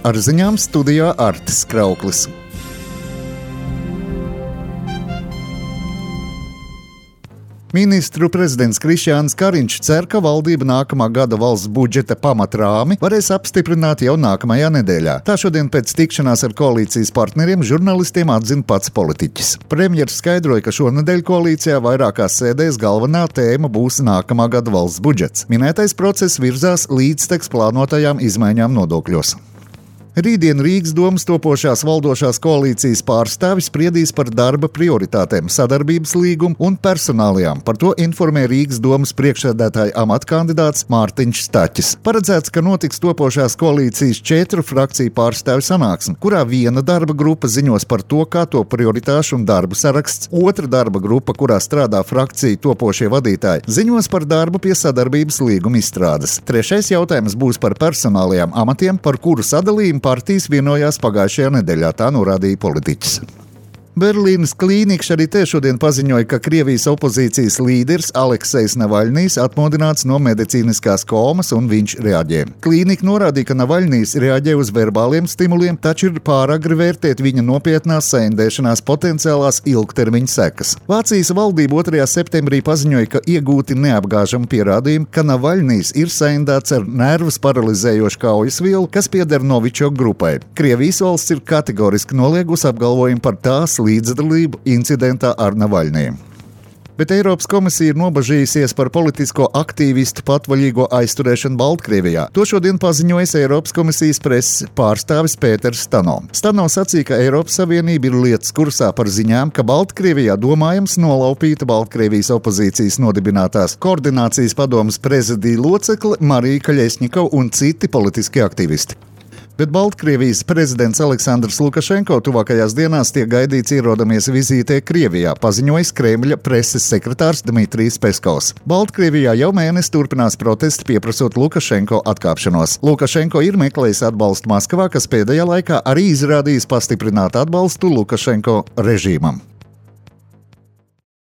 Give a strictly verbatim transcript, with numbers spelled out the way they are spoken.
Ar ziņām studijā Artis Krauklis. Ministru prezidents Krišjāns Kariņš cer, ka valdība nākamā gada valsts budžeta pamatrāmi varēs apstiprināt jau nākamajā nedēļā. Tā šodien pēc tikšanās ar koalīcijas partneriem žurnalistiem atzina pats politiķis. Premjers skaidroja, ka šonedēļ koalīcijā vairākās sēdēs galvenā tēma būs nākamā gada valsts budžets. Minētais process virzās līdzteks plānotajām izmaiņām nodokļos. Rītdien Rīgas domas topošās valdošās koalīcijas pārstāvis spriedīs par darba prioritātēm, sadarbības līgumu un personālijām. Par to informē Rīgas domas priekšsēdētāja amata kandidāts Mārtiņš Staķis. Paredzēts, ka notiks topošās koalīcijas četru frakciju pārstāvju sanāksme, kurā viena darba grupa ziņos par to, kā to prioritāšu un darbu saraksts, otra darba grupa, kurā strādā frakciju topošie vadītāji, ziņos par darbu pie sadarbības līguma izstrādes. Trešais jautājums būs par personālajām amatiem, par kuru sadalījumu partijas vienojās pagājušajā nedēļā, tā norādīja politiķis. Berlīnes klīniks arī te šodien paziņoja, ka Krievijas opozīcijas līderis Aleksejs Navaļnijs atmodināts no medicīniskās komas un viņš reaģē. Klīnika norādīja, ka Navaļnijs reaģē uz verbāliem stimuliem, taču ir pāragri vērtēt viņa nopietnās saindēšanās potenciālās ilgtermiņa sekas. Vācijas valdība otrajā septembrī paziņoja, ka iegūti neapgāžami pierādījumi, ka Navaļnijs ir saindēts ar nervus paralizējošu kaujas vielu, kas pieder Novičok grupai. Krievijas valsts ir kategoriski noliegusi apgalvojumu par tās līdzdalību incidentā ar Navaļniju. Bet Eiropas komisija ir nobažījusies par politisko aktīvistu patvaļīgo aizturēšanu Baltkrievijā. To šodien paziņojis Eiropas komisijas preses pārstāvis Pēters Stano. Stano sacīja, ka Eiropas Savienība ir lietas kursā par ziņām, ka Baltkrievijā domājams nolaupīta Baltkrievijas opozīcijas nodibinātās koordinācijas padomes prezidija locekle Marija Kaļesņikova un citi politiski aktīvisti. Bet Baltkrievijas prezidents Aleksandrs Lukašenko tuvākajās dienās tiek gaidīts ierodamies vizītē Krievijā, paziņojis Kremļa preses sekretārs Dmitrijs Peskovs. Baltkrievijā jau mēnesi turpinās protesti pieprasot Lukašenko atkāpšanos. Lukašenko ir meklējis atbalstu Maskavā, kas pēdējā laikā arī izrādījis pastiprinātu atbalstu Lukašenko režīmam.